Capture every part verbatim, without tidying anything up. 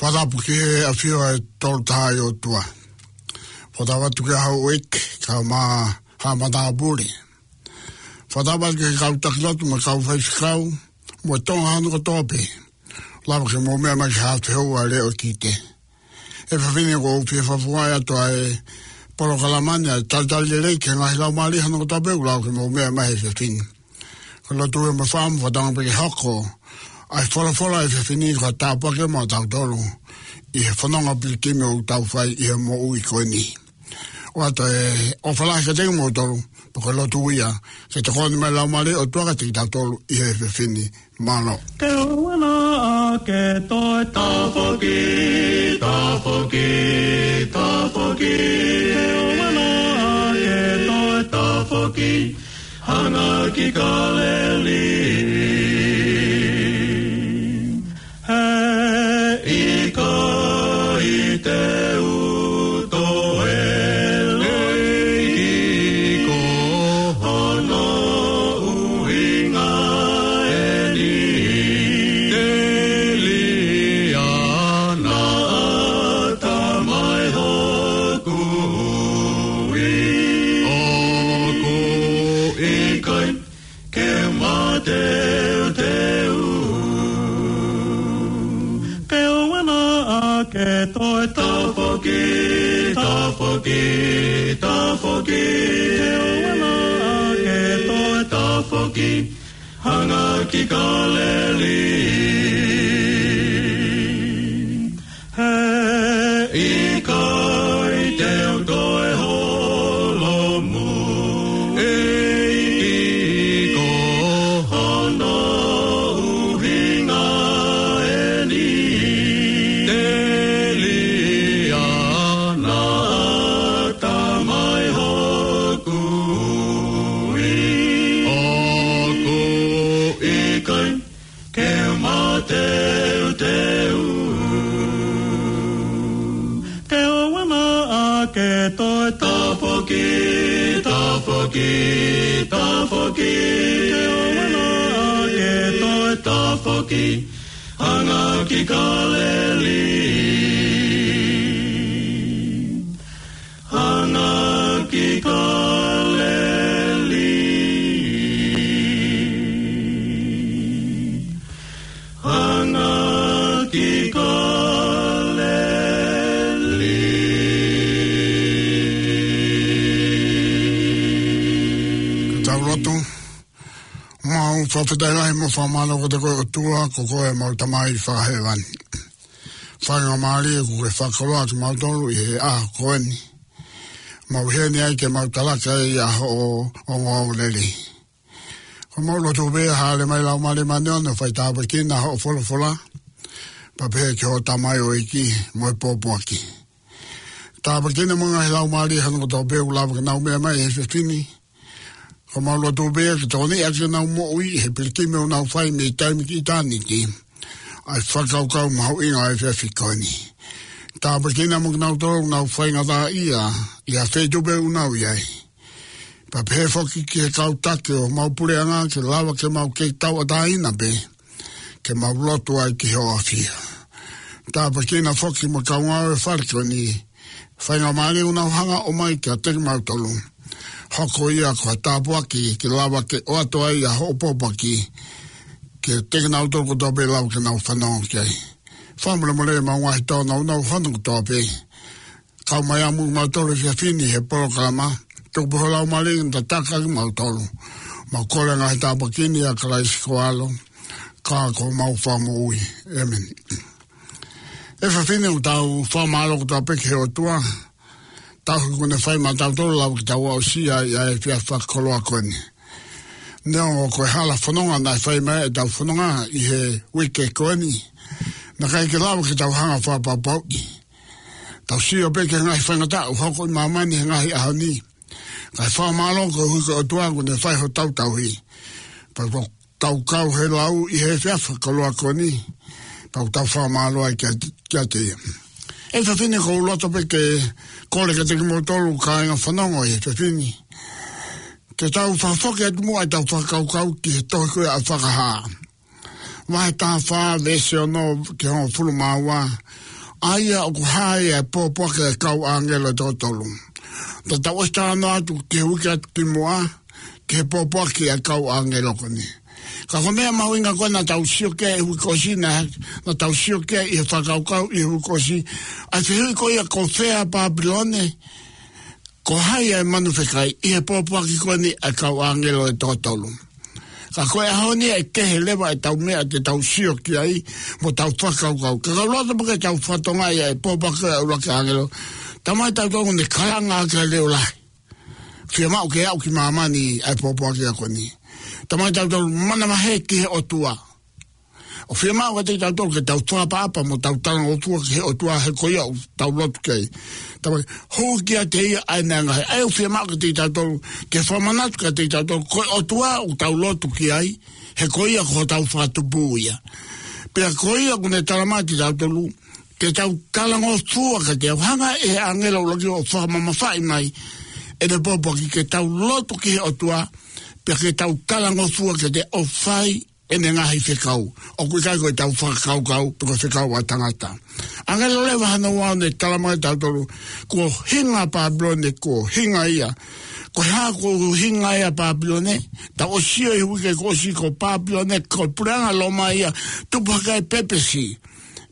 Fakatapu ki he ʻafio ʻa e Tolu Tahaʻi ʻOtua. Fakatapu atu ki he houʻeiki, kae ʻumaʻā haʻa matāpule. Fakatapu atu ki he kau taki lotu mo e kau faifekau, mo e Tonga hono kotoa pē. Lava ke mou meʻa mai ki he haʻa fehoua ʻa e Leʻo Kite. ʻE fafine, ʻoku ou fie fakafofongaʻi atu ʻa e polokalama ni ʻa e talitali lelei ki he ngaahi laumālie hono kotoa pē ʻoku lava ke mou meʻa mai he efiafi ni. Ko e lotu ē mo e fakaʻamu, fakatauange pē ke hoko ʻa e folofola he efiafi ni ko ha tāpuaki maʻatautolu ʻi he fononga pilikimi ʻoku tau fai ʻi he moʻui ko eni. ʻOatu e ʻofa lahi kiate kimoutolu, pea ko e lotu ia ke tokoni mai e Laumālie ʻo e ʻOtua kiate kitautolu ʻi he efiafi ni. Mālō. Ke ʻoua naʻa ke toe tafoki, tafoki, tafoki. Ke ʻoua naʻa ke toe tafoki, hanga ki Kāleli. He ʻikai te u toe loi ki ko hono ʻuhinga eni. Telia naʻa ta mai hoku ui. ʻOku ʻikai ke mateuteu. Ke ʻoua naʻa ke toe tafoki, tafoki, tafoki. Ke ʻoua naʻa ke toe tafoki, hanga ki Kāleli. He ʻikai te u toe holomui ki ko hono ʻuhinga eni. Telia naʻa ta mai hoku ui. ʻOku ʻikai ke mateuteu. Ke ʻoua naʻa ke toe tafoki, tafoki, tafoki. Ke ʻoua naʻa ke toe tafoki, hanga ki Kāleli. Hanga ki Kāleli. Hanga ki Kāleli. Ka tau lotu. Mau fakafetaʻi lahi mo fakamālō kiate koe ʻOtua, ko koe ʻemau Tamai fakahēvani. Faingamālie kuo ke fakakoloa kimautolu ʻi he ʻaho ko eni. Mau ʻi heni ai ke mau talaki ai ʻa hoʻo ongoongolelei. Ko ʻemau lotu pē, hāʻele mai Laumālie Māʻoniʻoni ʻo fai tāpuekina hoʻo folofola, pea pehē ki hoʻo tamaioʻeiki mo e pōpoaki. Tāpuekina mo e ngaahi laumālie hono kotoa pē ʻoku lava ke nau meʻa mai he efiafi ni. Ko ʻemau lotu pē ke tokoniʻi ʻaki ʻenau moʻui he pilikimi ʻoku nau fai mei taimi ki ʻitāniti ʻa e fakakaukau mahuʻinga ʻo e efiafi ko eni. Tāpuekina mo kinautolu ʻoku nau faingataʻaʻia ʻi ha feituʻu pē ʻoku nau ʻi ai. Pea pehē foki ki he kau taki ʻo homau puleʻanga ke lava ke mau kei tauʻatāina pē ke mau lotu ai ki hoʻo ʻafio. Tāpuekina foki mo e kau ngāue fale ko eni, faingamālie ʻoku nau hanga ʻo ʻomai kiate kimautolu. Hoko ia ko ha tāpuaki ke lava ke ʻoatu ai ʻa hoʻo pōpoaki kiate kinautolu kotoa pē ʻe lava ke nau fanongo ki ai. Fakamolemole ʻemau ngaahi tōnounou hono kotoa pē. Kau mai ā mo kimautolu he efiafi ni he polokalama. Tuku pē ho Laumālie ke ne tataki kimautolu. Mau kole ngaahi tāpuaki ni ʻia Kalaisi ko ho ʻAlo, ka ko homau Fakamoʻui. ʻĒmeni. He efiafi ni ʻoku tau fakamālō kotoa pē ki he ʻOtua, tauhi kuo ne fai maʻatautolu ʻo lava ke tau aʻusia ʻa e efiafi fakakoloa ko eni. Neongo ko e hala fononga naʻe fai mai ʻetau fononga ʻi he uike ko eni, naʻe ʻikai ke lava ke tau hanga ʻo fakapapauʻi. Tau sio pē ki he ngaahi faingataʻa ʻoku hoko ʻi māmani he ngaahi ʻaho ni. Kae fakamālō koeʻuhi ko e ʻOtua kuo ne fai hotau tauhi. Pea tau kau he lau ʻi he efiafi koloa ko eni. Pea tau fakamālō ai kia, kiate ia. ʻE fafine, ʻoku ou loto pē ke kole kiate kimoutolu kāinga fanongo ʻi he fafine, ke tau fakafoki atu muʻa ʻetau fakakaukau ki he tohi ko ia ʻa Fakahā, vahe taha fā, veesi ono ki he hongofulu mā ua. ʻA ia ʻoku hā ai ʻa e pōpoaki ʻa e kau ʻāngelo ʻe toko tolu. Pea tau ʻosi talanoa atu ki he uike atu ki muʻa ki he pōpoaki ʻa e kau ʻāngelo ko eni. Ka ko e meʻa mahuʻinga ko ē naʻa tau sio ki ai he uike kuo ʻosi, naʻa, naʻa tau sio ki ai ʻi he fakakaukau ʻi he uike kuo ʻosi, ʻa e fehuʻi ko ia, ko fē ʻa Pāpilone, ko hai ʻa e manu fekai ʻi he pōpoaki ko eni ʻa e kau ʻāngelo ʻe toko tolu. Ka ko e ʻaho ni ʻe kehe leva ʻetau meʻa te tau sio ki ai mo tau fakakaukau. Ka ʻoku ou loto pē ke tau fakatokangaʻi ʻa e pōpoaki ʻa e ʻuluaki ʻāngelo. Talamai ʻe tautolu naʻe kalanga ʻaki ʻa e leʻo lahi. Fiemaʻu ke aʻu ki māmani ʻa e pōpoaki ko eni. Talamai ʻe tautolu manavahē ki he ʻOtua. ʻOku fiemaʻu kiate kitautolu ke tau fakaʻapaʻapa mo tau talangofua ki he ʻOtua, he ko ia ʻoku tau lotu ki ai. Talamai, hū kiate ia ʻa e ngaahi. ʻA ia ʻoku fiemaʻu kiate kitautolu ke fakamanatu kiate kitautolu, ko e ʻOtua ʻoku tau lotu ki ai, he ko ia ko hotau Fakatupu ia. Pea ko ia kuo ne talamai kiate kitautolu ke tau talangofua kiate ia. Hanga ʻe he ʻāngelo ʻuluaki ʻo fakamamafaʻi mai ʻene pōpoaki, ke tau lotu ki he ʻOtua, pea ke tau talangofua kiate ia ʻo fai ʻene ngaahi fekau. ʻOku ʻikai ko ʻetau fakakaukau pe ko e fekau ʻa e tangata. ʻĀngelo leva hono ua ʻo ne talamai kiate kitautolu, kuo hinga ʻa Pāpilone, kuo hinga ia. Ko e hā kuo hinga ai ʻa Pāpilone? Tau ʻosi sio ʻi he uike kuo ʻosi, ko Pāpilone ko e puleʻanga Loma ia, tupu hake ai ʻa e pēpesi.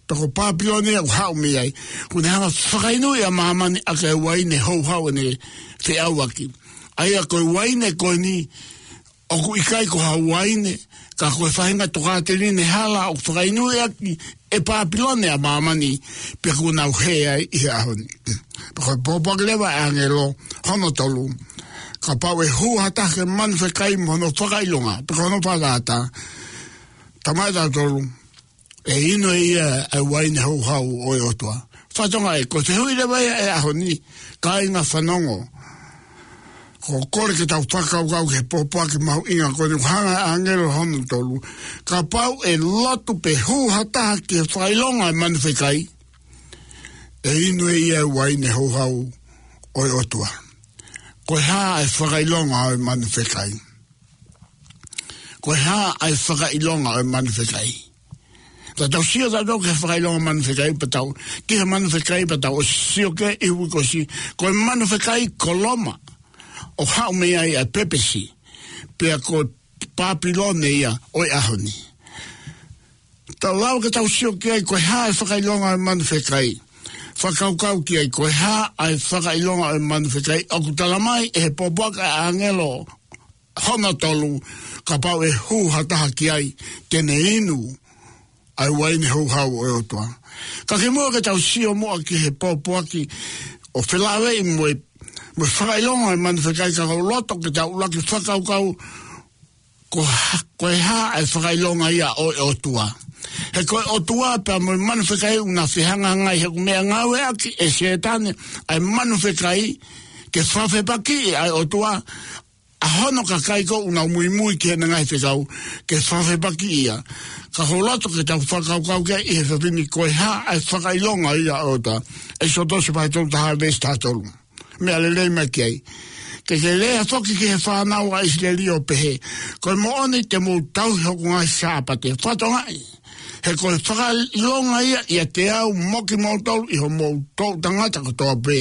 Pea ko Pāpilone ia ʻoku haʻu mei ai, kuo ne hanga ʻo fakainu ʻa māmani ʻaki ʻa e uaine houhau ʻene feʻauaki. ʻA ia ko e uaine ko eni ʻoku ʻikai ko ha uaine, ka ko e faʻahinga tokāteline hala ʻoku fakainu ʻaki ʻe Pāpilone ʻa māmani, pea kuo nau hē ai ʻi he ʻaho ni. Pea ko e pōpoaki leva ʻa e ʻāngelo hono tolu, kapau ʻe hū ha taha ki he manu fekai mo hono fakaʻilonga, pe ko hono fakatātā, talamai ʻe tautolu, ʻe inu ʻe ia ʻa e uaine houhau ʻo e ʻOtua. Fakatokangaʻi, ko e fehuʻi leva ia ʻa e ʻaho ni, kāinga fanongo. ʻOku ou kole ke tau fakakaukau ki he pōpoaki mahuʻinga ko eni, ʻoku hanga ʻe he ʻāngelo hono tolu. Kapau ʻe lotu pe hū ha taha ki he fakaʻilonga ʻo e manu fekai, ʻe inu ʻe ia ʻa e uaine houhau ʻo e ʻOtua. Ko e hā ʻa e fakaʻilonga ʻo e manu fekai? Ko e hā ʻa e fakaʻilonga ʻo e manu fekai? Ka tau sio tautolu ki he fakaʻilonga ʻo e manu fekai, pea tau, ki he manu fekai, pea tau ʻosi sio ki ai ʻi he uike kuo ʻosi, ko e manu fekai ko Loma, ʻoku haʻu mei ai ʻa e pēpesi, pea ko Pāpilone ia ʻo e ʻaho ni. Tau lava ke tau sio ki ai, ko e hā ʻa e fakaʻilonga ʻo e manu fekai? Fakakaukau ki ai, ko e hā ʻa e fakaʻilonga ʻo e manu fekai? ʻOku talamai ʻe he pōpoaki ʻa e ʻāngelo hono tolu, kapau ʻe hū ha taha ki ai, te ne inu ʻa e uaine houhau ʻo e ʻOtua. Ka kimuʻa ke tau sio muʻa ki he pōpoaki ʻo felāveʻi mo e, mo e fakaʻilonga ʻo e manu fekai, ka ʻoku ou loto ke tau ʻuluaki fakakaukau, ko ha-, ko e hā ʻa e fakaʻilonga ia ʻo e ʻOtua? He ko e ʻOtua pea mo e manu fekai ʻoku na fehangahangai, he ʻoku meʻangāueʻaki ʻe Sētane ʻa e manu fekai ke fakafepakiʻi ʻa e ʻOtua, ʻa hono kakai ko ē ʻoku nau muimui ki heʻene ngaahi fekau, ke fakafepakiʻi ia. Ka ʻoku ou loto ke tau fakakaukau ki ai ʻi he efiafi ni, ko e hā ʻa e fakaʻilonga ia ʻo e ʻOtua. ʻEkisoto vahe tolu taha veesi taha tolu. Meʻa lelei mai ki ai. Ke ke lea foki ki he fānau ʻa ʻIsileli ʻo pehē, ko e moʻoni te mou tauhi hoku ngaahi Sāpate. Fakatokangaʻi, he ko e fakaʻilonga ia ʻiate au mo kimoutolu ʻi hoʻomou toʻu tangata kotoa pē,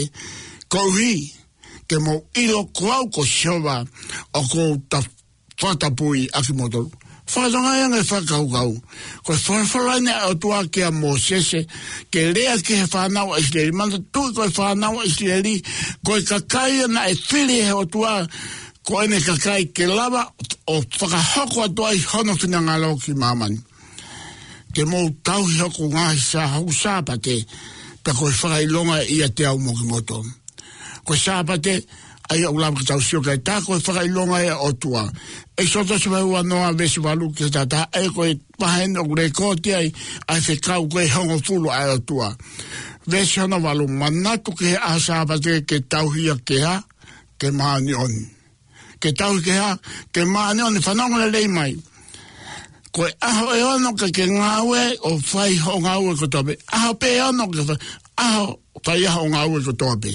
koeʻuhi ke mou ʻilo ko au ko Sihova, ʻoku ou ta-, fakatapui ʻa kimoutolu. Fakatokangaʻi ange e fakakaukau. Ko e folofola eni ʻa e ʻOtua kia Mōsese, ke lea ki he fānau ʻa ʻIsileli. Manatuʻi ko e fānau ʻa ʻIsileli, ko e kakai ia naʻe fili ʻe he ʻOtua, ko ʻene kakai ke lava ʻo fakahoko atu ai hono finangalo ki māmani. Te mou tauhi hoku ngaahi Sā-, hoku Sāpate, pea ko e fakaʻilonga ia ʻiate au mo kimoutolu. Ko e Sāpate, ʻa ia ʻoku lava ke tau sio ki ai, tā ko e fakaʻilonga ia ʻo e ʻOtua. ʻEkisoto vahe uanoa veesi valu ki he taha taha, ʻa ia ko e vahe eni ʻoku lekooti ai ʻa e fekau ko ē ʻe hongofulu ʻa e ʻOtua. Veesi hono valu, manatu ki he ʻaho Sāpate ke tauhi ia ke hā? Ke māʻoniʻoni. Ke tauhi ke hā? Ke māʻoniʻoni. Fanongo lelei mai. Ko e ʻaho ʻe ono ke ke ngāue ʻo fai hoʻo ngāue kotoa pē. ʻAho pē ʻe ono ke fai, ʻaho fai ai hoʻo ngāue kotoa pē.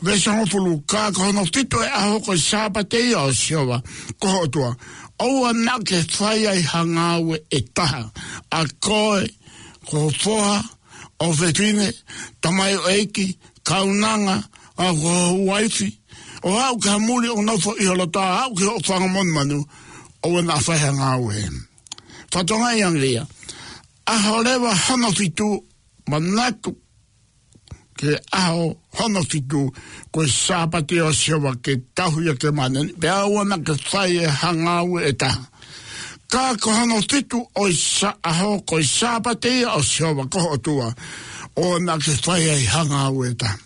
Veesi hongofulu, ka ko hono fitu ʻo e ʻaho ko e Sāpate ia ʻo Sihova ko ho ʻOtua. ʻOua naʻa ke fai ai ha ngāue ʻe taha. ʻA koe, ko ho foha, ʻofefine, tamaioʻeiki, kaunanga, ʻa ho uaifi, ʻo aʻu ki ha muli ʻoku nofo ʻi ho loto, aʻu ki hoʻo fanga monumanu, ʻoua naʻa fai ha ngāue. Fakatokangaʻi ange ia. ʻAho leva hono fitu, manatu ki he ʻaho hono fitu, ko e Sāpate ʻo Sihova ke tauhi ia ke māʻoniʻoni, pea ʻoua naʻa ke fai ai ha ngāue ʻe taha. Ka ko hono fitu ʻo e sa-, ʻaho, ko e Sāpate ia ʻo Sihova ko ho ʻOtua, ʻoua naʻa ke fai ai ha ngāue ʻe taha.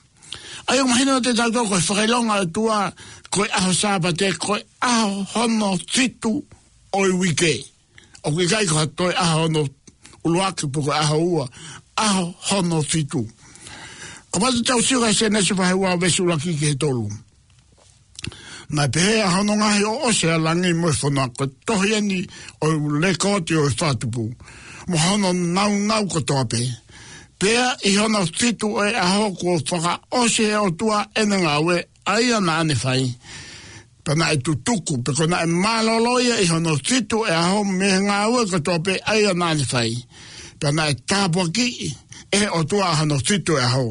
ʻA ia ʻoku mahino kiate kitautolu ko e fakaʻilonga ʻa e ʻOtua, ko e ʻaho Sāpate, ko e ʻaho hono fitu ʻo e uike. ʻOku ʻikai ko ha toe ʻaho hono ʻuluaki pe ko e ʻaho ua, ʻaho hono fitu. Kapau te tau sio ki he Sēnesi vahe ua veesi ʻuluaki ki he tolu. Naʻe pehē ʻa hono ngaohi ʻo ʻosi ʻa langi mo e fonua, ko e tohi eni ʻo e lekooti ʻo e fakatupu, mo hono nāunau kotoa pē. Pea ʻi hono fitu ʻo e ʻaho kuo fakaʻosi ʻe he ʻOtua ʻene ngāue ʻa ia naʻa ne fai. Pea naʻe tutuku, pe ko e naʻe mālōlō ia ʻi hono fitu ʻo e ʻaho mei he ngāue kotoa pē ʻa ia naʻa ne fai. Pea naʻe tāpuakiʻi ʻe he ʻOtua ʻa hono fitu ʻo e ʻaho,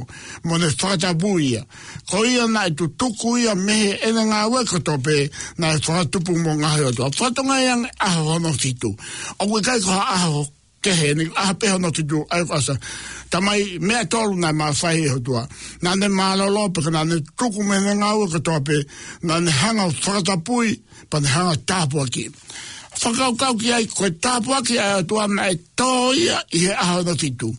mo ne fakatapui ia. Ko ia naʻe tutuku ia mei heʻene ngāue kotoa pē naʻe fakatupu mo ngaohi ʻe he ʻOtua. Fakatokangaʻi ange ʻaho hono fitu. ʻOku ʻikai ko ha ʻaho kehe ni, ʻaho pē hono fitu, ʻa ia ko e ʻosi. Tamai meʻa ʻe tolu naʻe mafai ʻe he ʻOtua. Naʻa ne mālōlō pe ko e naʻa ne tuku mei heʻene ngāue kotoa pē, naʻa ne hanga ʻo fakatapui, pea ne hanga ʻo tāpuakiʻi. Fakakaukau ki ai, ko e tāpuaki ʻa e ʻOtua naʻe tō ia ʻi he ʻaho hono fitu.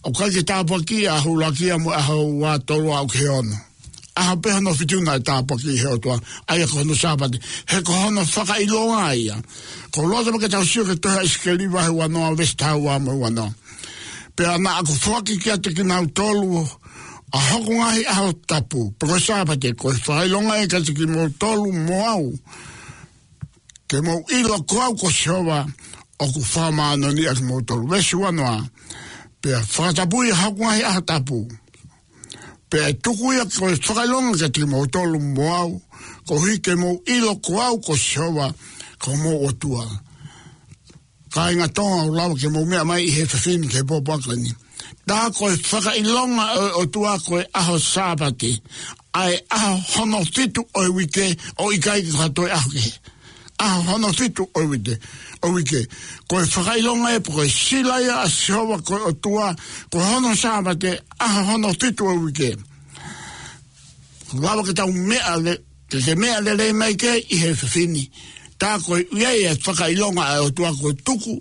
ʻOku ʻikai ke tāpuakiʻi ʻaho ʻuluaki ia mo e ʻaho ua, tolu aʻu ki he ono. ʻAho pē hono fitu naʻe tāpuakiʻi ʻe he ʻOtua, ʻa ia ko hono Sāpate. He ko hono fakaʻilonga ia. ʻOku ou loto pē ke tau sio ki he tohi ʻa ʻIsikeli vahe uanoa, veesi taha ua mo e uanoa. Pea naʻa ku foaki kiate kinautolu ʻa hoku ngaahi ʻaho tapu, pe ko e Sāpate, ko e fakaʻilonga ia kiate kimoutolu mo au, ke mou ʻilo ko au ko Sihova ʻoku fakamāʻoniʻoniʻi ʻa kimoutolu. Veesi uanoa. Pea fakatapui ʻa hoku ngaahi ʻaho tapu, pea ʻe tuku ia ko e fakaʻilonga kiate kimoutolu mo au, koeʻuhi ke mou ʻilo ko au ko Sihova ko homou ʻOtua. Kāinga Tonga, ʻoku lava ke mou meʻa mai ʻi he efiafi ni ki he pōpoaki ni. Tā ko e fakaʻilonga ʻo e ʻOtua ko e ʻaho Sāpate, ʻa e ʻaho hono fitu ʻo e uike, ʻoku ʻikai ko ha toe ʻaho kehe. ʻAho hono fitu ʻo e uike, ʻo e uike. Ko e fakaʻilonga ia pe ko e sila ia ʻa Sihova ko e ʻOtua, ko hono Sāpate, ʻaho hono fitu ʻo e uike. Lava ke tau meʻa le-, ke, ke meʻa lelei mai ki ai ʻi he efiafi ni. Tā ko e ʻuhi ia e fakaʻilonga ʻa e ʻOtua kuo tuku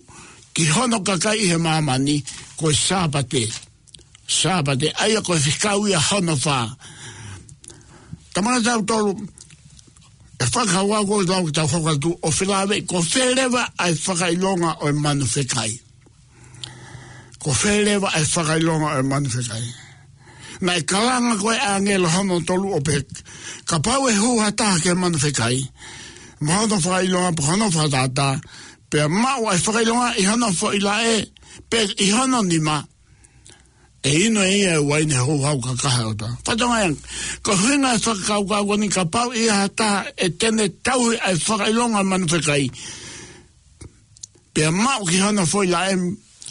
ki hono kakai ʻi he māmani, ko e Sāpate. Sāpate, ʻa ia ko e fekau ia hono fā. Tamai, tautolu, ʻe fakakaukau ko ʻetau, ke tau hoko atu ʻo felāveʻi, ko fē leva ʻa e fakaʻilonga ʻo e manu fekai. Ko fē leva ʻa e fakaʻilonga ʻo e manu fekai. Naʻe kalanga ko ē ʻa e ʻāngelo hono tolu ʻo pehē, kapau ʻe hū ha taha ki he manu fekai, mo hono fakaʻilonga pe ko hono fakatātā, pea maʻu ʻa e fakaʻilonga ʻi hono foʻi laʻe, pe ʻi hono nima, ʻe inu ʻe ia e uaine houhau kakaha ʻo e ʻOtua. Fakatokangaʻi ange, ko e ʻuhinga e fakakaukau ko eni, kapau ʻe ʻi ai ha taha ʻe te ne tauhi ʻa e fakaʻilonga ʻo e manu fekai, pea maʻu ki hono foʻi laʻe,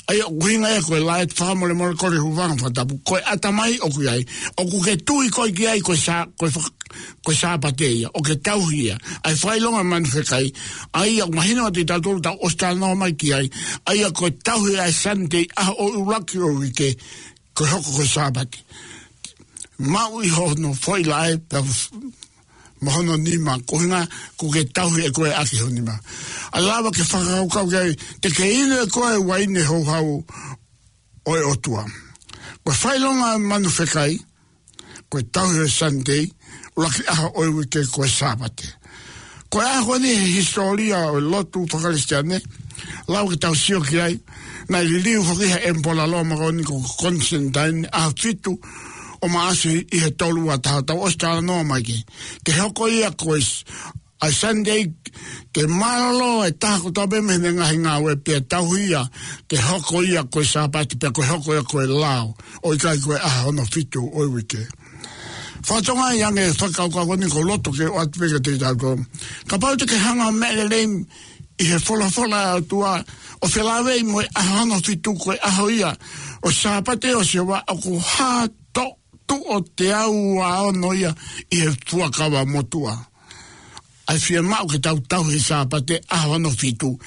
ʻa ia ʻoku ʻuhinga ia ko e laʻe fakamolemole kole hūfanga he fakatapu, ko e ʻatamai ʻoku ʻi ai. ʻOku ke tui koe ki ai ko e Sā-, ko e faka-, ko e Sāpate ia, ʻoku ke tauhi ia. ʻA e fakaʻilonga ʻo e manu fekai, ʻa ia ʻoku mahino kiate kitautolu, tau ʻosi talanoa mai ki ai, ʻa ia ko e tauhi ʻa e Sunday, ʻaho ʻuluaki ʻo e uike, ko e hoko ko e Sāpate. Maʻu ʻi hono foʻi laʻe, pea f-, mo hono nima, ko e ʻuhinga ʻoku ke tauhi ʻe koe ʻaki ho nima. ʻA ia lava ke fakakaukau ki ai, te ke inu ʻe koe e uaine houhau ʻo e ʻOtua. Ko e fakaʻilonga ʻo e manu fekai, ko e tauhi ʻo e Sunday, ʻuluaki ʻaho ʻo e uike ko e Sāpate. Ko e ʻaho ko eni he hisitōlia ʻo e lotu faka-Kalisitiane, Lava ke tau sio ki ai, naʻe liliu foki ʻe he ʻEmipola Loma ko eni ko Konisitantine ʻaho fitu ʻo Maʻasi ʻi he tolu ua taha, tau ʻosi talanoa mai ki ai. Ke hoko ia ko e s-, ʻa e Sunday, ke mālōlō e taha kotoa pē mei heʻene ngaahi ngāue pea tauhi ia ke hoko ia ko e Sāpate, pea ko e hoko ia ko e lao, ʻo ʻikai ko e ʻaho hono fitu ʻo e uike. Fakatokangaʻi ange e fakakaukau ko eni, ʻoku ou loto ke ʻoatu pē kiate kitautolu. Kapau te ke hanga ʻo meʻa lelei ʻi he folofola ʻa e ʻOtua, ʻo felāveʻi mo e ʻaho hono fitu ko e ʻaho ia ʻo e Sāpate ʻo Sihova, ʻoku hā tuʻo teau ua ono ia ʻi he Fuakava Motuʻa. ʻA e fiemaʻu ke tau tauhi e Sāpate, ʻaho hono fitu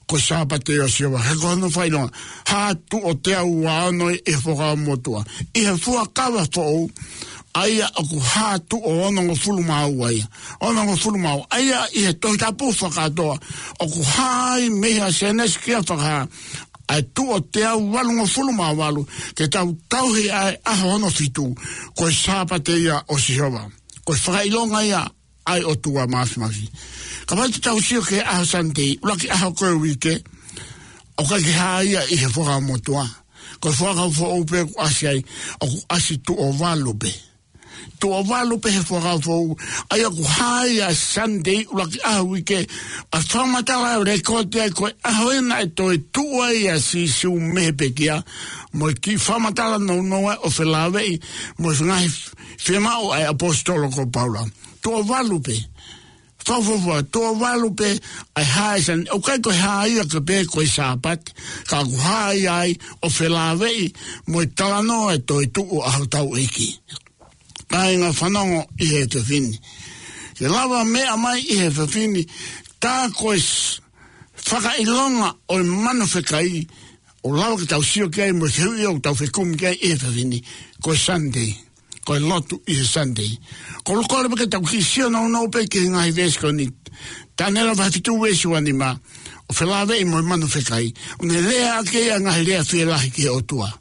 ko e Sāpate ʻo Sihova. He ko hono fakaʻilonga, hā tuʻo teau ua ono ʻi he Fuakava Motuʻa. ʻI he Fuakava Foʻou, ʻa ia ʻoku hā tuʻo onongofulu mā ua ia. Onongofulu mā ua. ʻA ia ʻi he Tohi Tapu fakakātoa, ʻoku hā ai mei he Sēnesi ki he Fakahā, ʻa e tuʻo teau valungofulu mā valu, ke tau tauhi ʻa e ʻaho hono fitu ko e Sāpate ia ʻo Sihova. Ko e fakaʻilonga ia ʻa e ʻOtua Māfimafi. Kapau te tau sio ki he ʻaho Sunday, ʻuluaki ʻaho ko e uike, ʻoku ʻikai ke hā ia ʻi he Fuakava Motuʻa. Ko e Fuakava Foʻou pē ʻoku ʻasi ai, ʻoku ʻasi tuʻo valu pē. Tuʻo valu pē he Fuakava Foʻou, ʻa ia ʻoku hā ia Sunday, ʻuluaki ʻaho uike, ʻa e fakamatala ʻo e lekooti ai ko e ʻaho ia naʻe toetuʻu ai ʻa Sīsū mei he pekia, mo e kiʻi fakamatala nounou ʻo felāveʻi mo e ngaahi fiemaʻu ʻa e ʻaposetolo ko Paula. Tuʻo valu pē. Fakafuofua, tuʻo valu pē ʻa e hā ʻa e Sunday, ʻoku ʻikai ko e hā ia ko ē pē ko e Sāpate, ka ʻoku hā ia ai ʻo felāveʻi mo e talanoa ʻo e toetuʻu ʻa hotau ʻEiki. Kāinga, fanongo ʻi he efiafi ni. Ke lava meʻa mai ʻi he efiafi ni, tā ko e s-, fakaʻilonga ʻo e manu fekai, ʻoku lava ke tau sio ki ai mo e fehuʻi ʻoku tau fekumi ki ai ʻi he efiafi ni, ko e Sunday. Ko e lotu ʻi he Sunday. ʻOku ou kole pē ke tau kiʻi sio nounou pē ki he ngaahi veesi ko eni. Taniela vahe fitu veesi ua nima, ʻo felāveʻi mo e manu fekai. ʻOku ne lea ʻaki ʻa e ngaahi lea fielahi ki he ʻOtua. ʻOku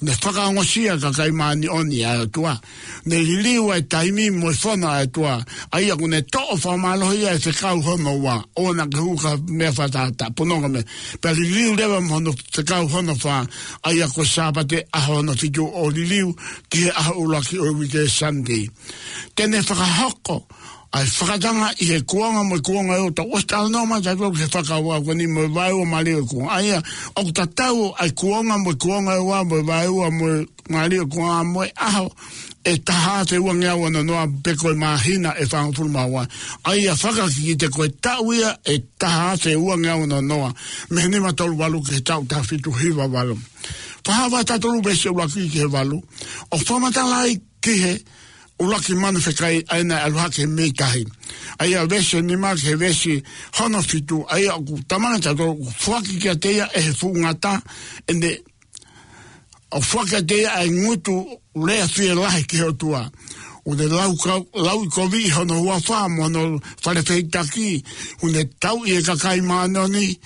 ne fakaongosia ʻa e kakai māʻoniʻoni ʻa e ʻOtua. ʻOku ne liliu ʻa e taimi mo e fono ʻa e ʻOtua. ʻA ia ʻoku ne toʻo fakamālohi ʻa e fekau hono ua. ʻOua naʻa ke hū ki ha meʻa fakatātā, punou ki ha meʻa. Pea liliu leva mo hono fekau hono fā. ʻA ia ko e Sāpate, ʻaho hono fitu, ʻo liliu ki he ʻaho ʻuluaki ʻo e uike, Sunday. Te ne fakahoko ʻa e fakatanga ʻi he kuonga mo e kuonga ʻe ua. Tau ʻosi talanoa mai tautolu ki he fakakaukau ko eni mo e vaeua mālie ʻo e kuonga. ʻA ia, ʻoku tatau ʻa e kuonga mo e kuonga ʻe ua, mo e vaeua mo e mālie ʻo e kuonga, mo e ʻaho ʻe taha afe uangeau ono noa, pe ko e māhina ʻe fāngofulu mā ua. ʻA ia, fakakikite, ko e taʻu ia ʻe taha afe uangeau ono noa, mei he nima tolu valu ki he taʻu taha fitu hiva valu. Fakahā vahe taha tolu veesi ʻuluaki ki he valu, ʻo fakamatala ai ki he ʻuluaki manu fekai ʻa ia naʻe ʻalu hake mei tahi. ʻA ia veesi nima ki he veesi hono fitu, ʻa ia ʻoku talamai kiate kitautolu ʻoku foaki kiate ia ʻe he fuʻu ngata ʻene, ʻoku foaki kiate ia ʻa e ngutu lea fielahi ki he ʻOtua. ʻOku ne lau kau-, lauʻikoviʻi hono huafa mo hono fale fehikitaki, ʻoku ne tauʻi e kakai māʻoniʻoni,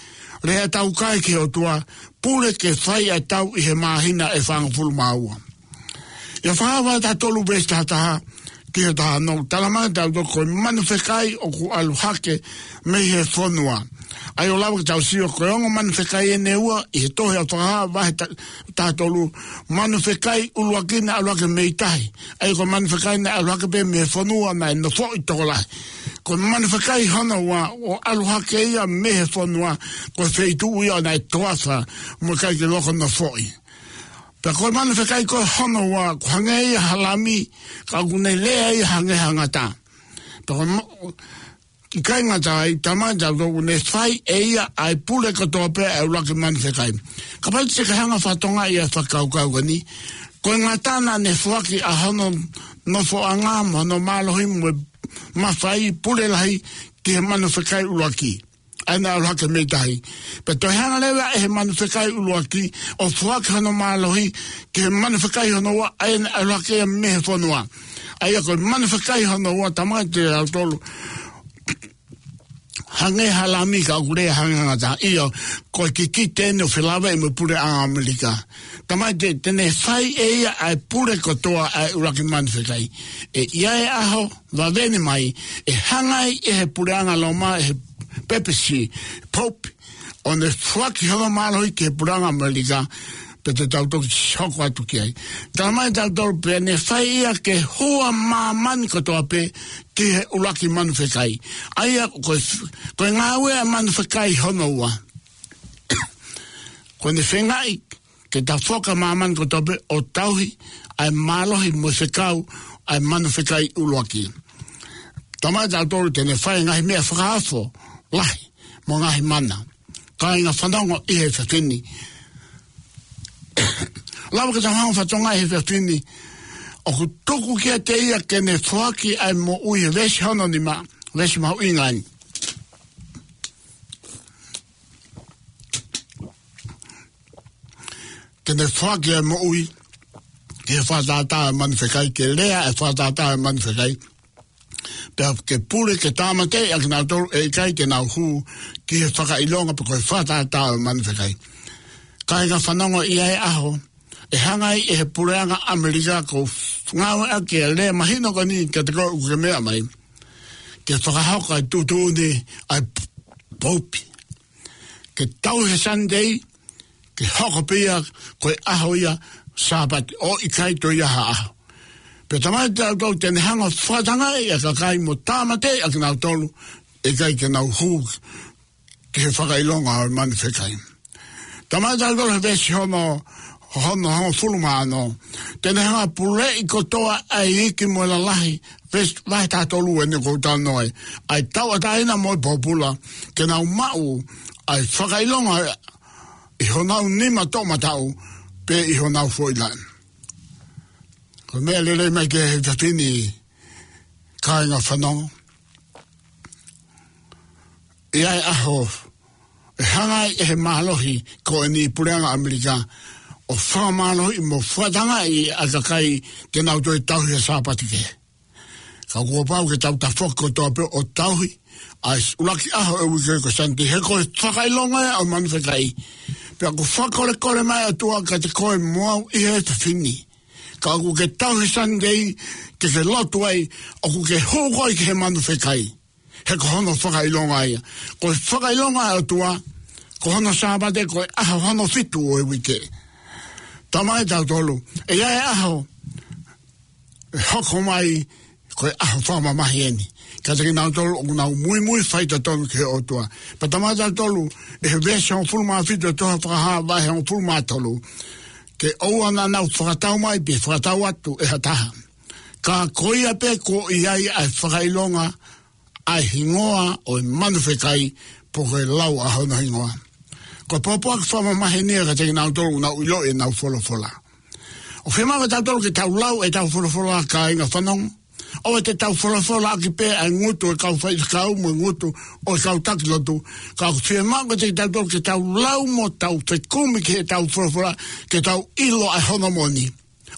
lea taukae ki he ʻOtua, pule ke fai ʻa e tau ʻi he māhina ʻe fāngofulu mā ua. ʻIa, Fakahā vahe taha tolu veesi taha taha ki he taha ono, talamai kiate kitautolu ko e manu fekai ʻoku ʻalu hake mei he fonua. ʻA ia ʻoku lava ke tau sio ko e ongo manu fekai ʻe ua ʻi he tohi ʻa Fakahā vahe ta-, taha tolu, manu fekai ʻuluaki naʻe ʻalu hake mei tahi. ʻA ia ko e manu fekai naʻe ʻalu hake pē mei he fonua naʻe nofoʻi tokolahi. Ko e manu fekai hono ua ʻoku ʻalu hake ia mei he fonua, ko e feituʻu ia naʻe toafa mo ʻikai ke loko nofoʻi. Pea ko e manu fekai ko ē hono ua, ʻoku hangē ia ha lami, ka ʻoku ne lea ia hangē ha ngata. Pea ko e mo-, ʻikai ngata ai, talamai kiate kitautolu ʻoku ne fai ʻe ia ʻa e pule kotoa pē ʻa e ʻuluaki manu fekai. Kapau te ke hanga ʻo fakatokangaʻi ʻa e fakakaukau ko eni, ko e ngata naʻa ne foaki ʻa hono nofoʻanga mo hono mālohi mo e mafai, pule lahi ki he manu fekai ʻuluaki ʻa ia naʻe ʻalu hake mei tahi. Pea toe hanga leva ʻe he manu fekai ʻuluaki ʻo foaki hono mālohi ki he manu fekai hono ua ʻa ia naʻe ʻalu hake ia mei he fonua. ʻA ia ko e manu fekai hono ua, talamai kiate kitautolu, hangē ha lami ka ʻoku lea hangē ha ngata. ʻIo, ko e kikite eni ʻo felāveʻi mo e puleʻanga ʻAmelika. Talamai te, te ne fai ʻe ia ʻa e pule kotoa ʻa e ʻuluaki manu fekai. ʻE ʻi ai e ʻaho, vave eni mai, ʻe hanga ai ʻe he puleʻanga Loma, ʻe he pepesi, pope, ʻo ne foaki hono mālohi ki he puleʻanga ʻAmelika, pea te tau toki hoko atu ki ai. Talamai ʻe tautolu pē naʻe fai ia ke hua māmani kotoa pē ki he ʻuluaki manu fekai. ʻA ia ko e, ko e ngāue ʻa e manu fekai hono ua. Ko ʻene feingaʻi ke tafoki ʻa māmani kotoa pē ʻo tauhi ʻa e mālohi mo e fekau ʻa e manu fekai ʻuluaki. Talamai ʻe tautolu te ne fai ngaahi meʻa fakaofo lahi mo e ngaahi mana, kāinga fanongo ʻi he efiafi ni. Lava ke tau hanga ʻo fakatokangaʻi he efiafi ni, ʻoku tuku kiate ia ke ne foaki ʻa e moʻui he veesi hono nima, veesi mahuʻinga eni. Ke ne foaki ʻa e moʻui ki he fakatātā ʻo e manu fekai, ke lea ʻa e fakatātā ʻo e manu fekai. Pea ke pule ke tāmateʻi ʻa kinautolu ʻe ʻikai te nau hū ki he fakaʻilonga pe ko e fakatātā ʻo e manu fekai. Kāinga fanongo, ʻi ai e ʻaho ʻe hanga ai ʻe he puleʻanga ʻAmelika, ʻoku ou ngāueʻaki e lea mahino ko eni kiate koe ʻoku ke meʻa mai, ke fakahoko ʻa e tuʻutuʻuni ʻa e Pope ke tauhi e Sunday, ke hoko pē ia ko e ʻaho ia Sāpate, ʻo ʻikai toe ʻi ai ha ʻaho. Pea talamai ʻe tautolu te ne hanga ʻo fakatangaʻi ʻa e kakai mo tāmateʻi ʻa kinautolu ʻe ʻikai ke nau hū ki he fakaʻilonga ʻo e manu fekai. Talamai ʻe tautolu he veesi hono, hono hongofulu mā ono, te ne hanga ʻo puleʻi kotoa ʻa e iiki mo e lalahi, veesi, vahe taha tolu eni ʻoku ou talanoa ai, ʻa e tauʻatāina mo e pōpula, ke nau maʻu ʻa e fakaʻilonga ʻi honau nima toʻomataʻu, pea ʻi honau foʻi laʻi. Ko e meʻa lelei mai ki he efiafi ni, kāinga fanongo, ʻi ai e ʻaho ʻe hanga ai ʻe he mālohi ko eni, puleʻanga ʻAmelika, ʻo fakamālohiʻi mo fakatangaʻi ʻa e kakai te nau toe tauhi ʻa e Sāpate kehe. Ka kuo pau ke tau tafoki kotoa pē ʻo tauhi ʻa e ʻuluaki ʻaho ʻo e uike ko e Sunday, he ko e fakaʻilonga ia ʻo e manu fekai. Pea ʻoku fakakolekole mai ʻa e ʻOtua kiate koe mo au ʻi he efiafi ni. Kapau ʻoku ke tauhi Sunday ke ke lotu ai, ʻoku ke hū koe ki he manu fekai, he ko hono fakaʻilonga ia. Ko e fakaʻilonga ʻa e ʻOtua ko hono Sāpate, ko e ʻaho hono fitu ʻo e uike. Talamai ʻe tautolu ʻe ʻi ai e ʻaho ʻe hoko mai, ko e ʻaho fakamamahi eni kiate kinautolu ʻoku nau muimui faitotonu ki he ʻOtua. Pea talamai ʻe tautolu ʻe he veesi hongofulu mā fitu ʻo e tohi Fakahā vahe hongofulu mā tolu, ke ʻoua naʻa nau fakatau mai pe fakatau atu ʻe ha taha, ka ko ia pē kuo ʻi ai ʻa e fakaʻilonga ʻa e hingoa ʻo e manu fekai, pe ko e lau ʻa hono hingoa. Ko e pōpoaki fakamamahi eni ia kiate kinautolu ʻoku nau ʻiloʻi ʻenau folofola. ʻOku fiemaʻu ʻe tautolu ke tau lau ʻetau folofola, kāinga fanongo. ʻOua te tau folofolaʻaki pē ʻa e ngutu ʻo e kau faifekau mo e ngutu ʻo e kau taki lotu. Ka ʻoku fiemaʻu kiate kitautolu ke tau lau mo tau fekumi ki heʻetau folofola, ke tau ʻilo ʻa hono moʻoni.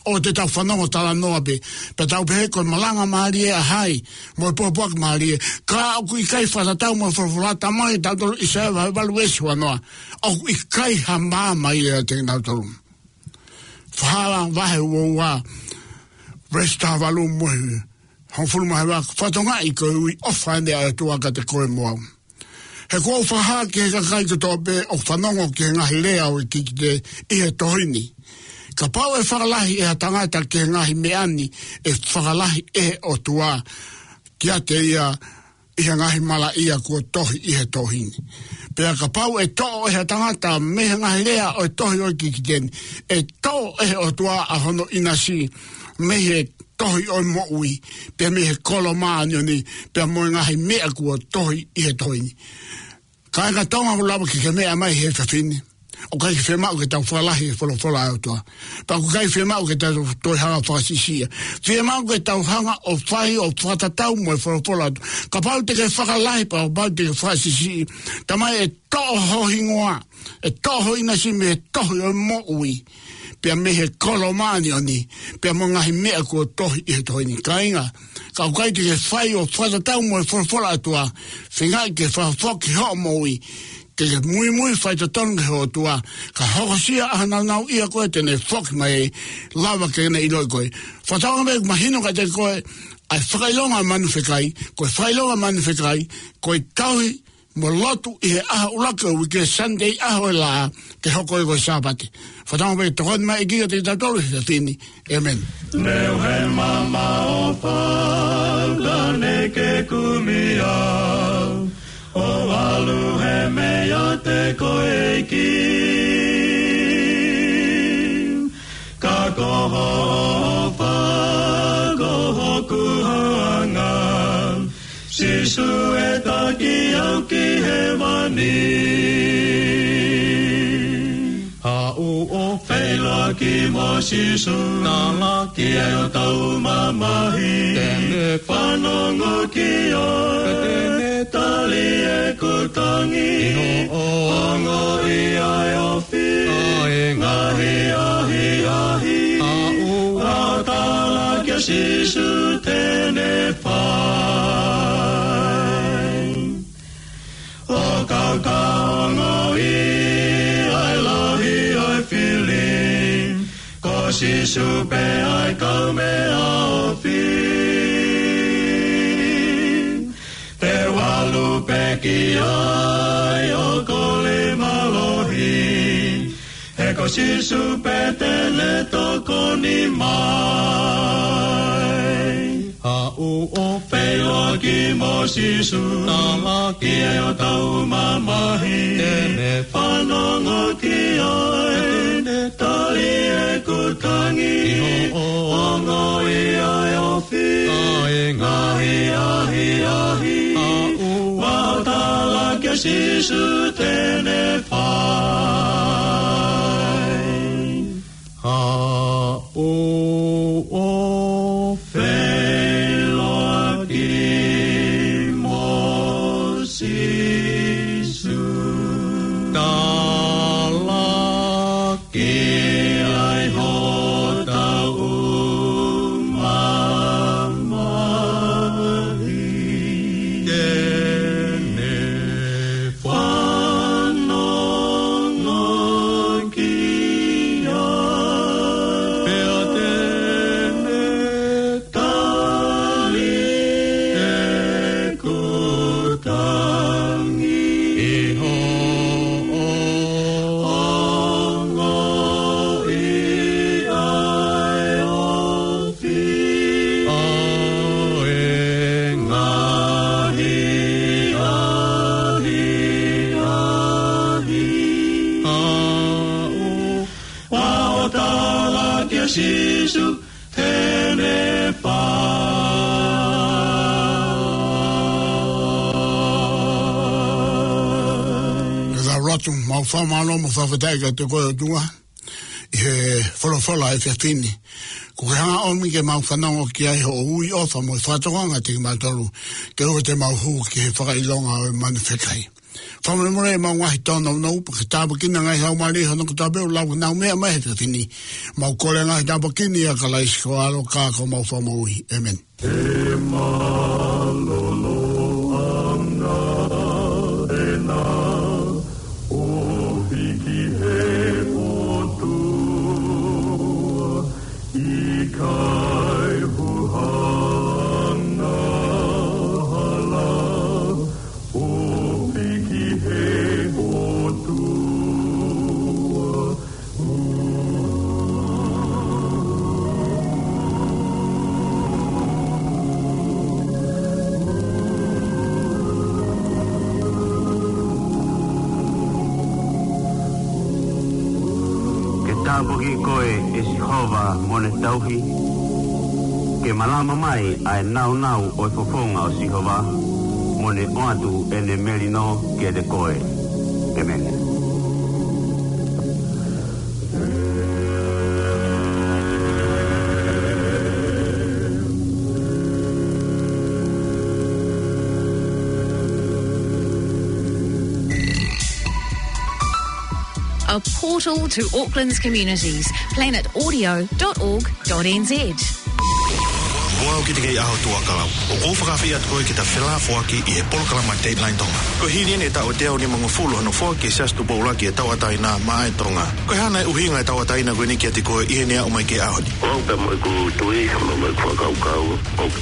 ʻOua te tau fanongo talanoa pē, pea tau pehē ko e malanga mālie ʻa hai, mo e pōpoaki mālie, ka ʻoku ʻikai fakatatau mo e folofola. Talamai ʻe tautolu ʻi ʻAisea vahe valu veesi ua noa, ʻoku ʻikai ha maama ia ʻiate kinautolu. Fakahā vahe ua ua, veesi taha valu mo e hongofulu mā hiva, fakatokangaʻi ko e ui ʻofa eni ʻa e ʻOtua kiate koe mo au. He kuo u fakahā ki he kakai kotoa pē ʻoku fanongo ki he ngaahi lea ʻo e kikite ʻi he tohi ni, kapau ʻe fakalahi ʻe ha tangata ki he ngaahi meʻa ni, ʻe fakalahi ʻe he ʻOtua kiate ia ʻi he ngaahi malaʻia kuo tohi ʻi he tohi ni. Pea kapau ʻe toʻo ʻe ha tangata mei he ngaahi lea ʻo e tohi ʻo e kikite ni, ʻe toʻo ʻe he ʻOtua ʻa hono ʻinasi mei he tohi ʻo e moʻui, pea mei he kolo māʻoniʻoni, pea mo e ngaahi meʻa kuo tohi ʻi he tohi ni. Kāinga Tonga, ʻoku lava ke ke meʻa mai he efiafi ni. ʻOku ʻikai fiemaʻu ke tau fakalahi e folofola ʻa e ʻOtua. Pea ʻoku ʻikai fiemaʻu ke tau toe hanga ʻo fakasiʻisiʻi ia. Fiemaʻu ke tau hanga ʻo fai ʻo fakatatau mo e folofola ʻa e ʻOtua. Kapau te ke fakalahi, kapau te ke fakasiʻisiʻi, talamai ʻe toʻo ho hingoa, ʻe toʻo ho ʻinasi mei he tohi ʻo e moʻui, pea mei he kolo māʻoniʻoni, pea mo e ngaahi meʻa kuo tohi ʻi he tohi ni. Kāinga, ka ʻoku ʻikai te ke fai ʻo fakatatau mo e folofola ʻa e ʻOtua, feingaʻi ke fakafoki hoʻo moʻui ke ke muimui faitotonu ki he ʻOtua, ka hokosia ʻa e nāunauʻia ko ē te ne foki mai, lava ke ne ʻiloʻi koe. Fakatauange pē ʻoku mahino kiate koe ʻa e fakaʻilonga ʻo e manu fekai. Ko e fakaʻilonga ʻo e manu fekai ko e tauhi mo lotu ʻi he ʻaho ʻuluaki ʻo e uike, Sunday ʻaho ʻe lahi, ke hoko ia ko e Sāpate. Fakatauange pē ke tokoni mai e ʻEiki kiate kitautolu he efiafi ni. ʻĒmeni. Neongo e mamaʻo fau ka ne ke kumi au, ʻo ʻalu he meʻa ʻiate koe ʻEiki. Ka ko hoʻo ʻofa ko hoku hounga, Sīsū ʻe taki au ki hēvani. Haʻu ʻo feʻiloaki mo Sīsū, tala ki ai hotau mamahi. Te ne fanongo ki ai, te ne tali ʻeku tangi. ʻI hoʻo ongoʻi ʻa e ofi, ʻa e ngaahi ʻahiʻahi. Haʻu ʻo tala kia Sīsū te ne fai. ʻO kau ka ongoʻi ʻa e lahi ʻo e fili, ko Sīsū pē ʻa e kaumeʻa ofi. Te u ʻalu pē ki ai ʻo kole mālohi, he ko Sīsū pē te ne tokoni mai. Haʻu ʻo feʻiloaki mo Sīsū, tala ki ai hotau mamahi. Te ne fanongo ki ai, te ne tali ʻeku tangi. ʻI hoʻo ongoʻi ʻa e ofi, ʻa e ngaahi ʻahiʻahi. Haʻu ʻo tala kia Sīsū te ne fai. Haʻu ʻo feʻiloaki mo Sīsū, tala ki ai hotau mamahi. Te ne fanongo ki ai, pea te ne tali ʻeku tangi. ʻI hoʻo ongoʻi ʻa e ofi, ʻa e ngaahi ʻahiʻahi. Haʻu ʻo tala kia Sīsū te ne fai. Ke tau lotu. Mau fakamālō mo fakafetaʻi kiate koe ʻOtua, ʻi he folofola he efiafi ni. Kuo ke hanga ʻo ʻomi ke mau fanongo ki ai hoʻo ui ʻofa mo e fakatokanga kiate kimautolu, ke ʻoua te mau hū ki he fakaʻilonga ʻo e manu fekai. Fakamolemole ʻemau ngaahi tōnounou, pea ke tāpuekina ngaahi laumālie hono kotoa pē ʻoku lau nau meʻa mai he efiafi ni. Mau kole ngaahi tāpuaki ni ʻia Kalaisi ko ho ʻAlo ka ko homau Fakamoʻui. ʻĒmeni. He mālōlō ʻanga ʻena ʻo hiki he ʻOtua, ʻikai huhanga hala ʻo hiki he ʻOtua. Ke tāpuaki koe ʻe Sihova mo ʻene tauhi, ke malama mai ʻa e nāunau ʻo e fofonga ʻo Sihova, mo ne ʻoatu ʻene melino kiate koe. ʻĒmeni. A portal to Auckland's communities. Planet audio dot org dot N Z. Mo au ki te kei ʻaho tuʻa kalau. ʻOku ou fakaafeʻi atu koe ke ta felāfoaki ʻi he polokalama Dateline Tonga. Ko e hili eni e taʻu ʻe teau nimangofulu hono foaki ʻe he Siasi Tupou ʻUluaki e tauʻatāina maʻa e Tonga. Ko e hā nai ʻuhinga e tauʻatāina ko eni kiate koe ʻi heʻene aʻu mai ki he ʻaho ni? Ko au pea mo ʻeku tui, mo, mo ʻeku fakakaukau, ʻoku